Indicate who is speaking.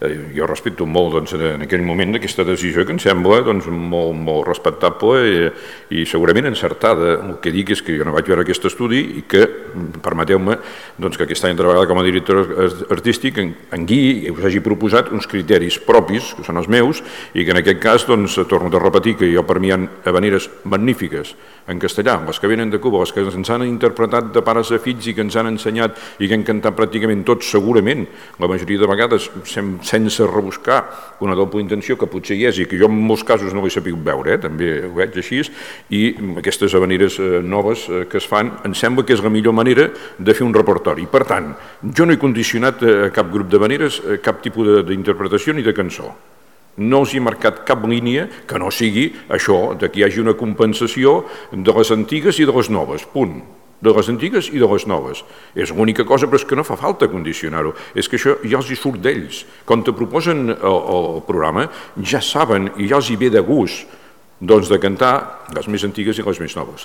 Speaker 1: Jo respecto molt en aquell moment aquesta decisió que em sembla molt respectable i segurament encertada. El que dic és que jo no vaig veure aquest estudi i que, permeteu-me, que aquest any treballat com a director artístic en guiï i us hagi proposat uns criteris propis, que són els meus, i que en aquest cas, torno a repetir que jo per mi hi ha havaneres magnífiques en castellà, les que venen de Cuba, les que ens han interpretat de pares a fills i que ens han ensenyat i que han cantat pràcticament tots segurament, la majoria de vegades sense rebuscar una doble intenció que potser hi és i que jo en molts casos no l'he sabut veure, també ho veig així, i aquestes havaneres noves que es fan, em sembla que és la millor manera de fer un repertori. Per tant, jo no he condicionat a cap grup d'havaneres cap tipus d'interpretació ni de cançó. No els he marcat cap línia que no sigui això, que hi hagi una compensació de les antigues i de les noves, punt. De les antigues i de les noves. És l'única cosa, però és que no fa falta condicionar-ho. És que això ja els hi surt d'ells. Quan te proposen el programa, ja saben i ja els hi ve de gust de cantar les més antigues i les més noves.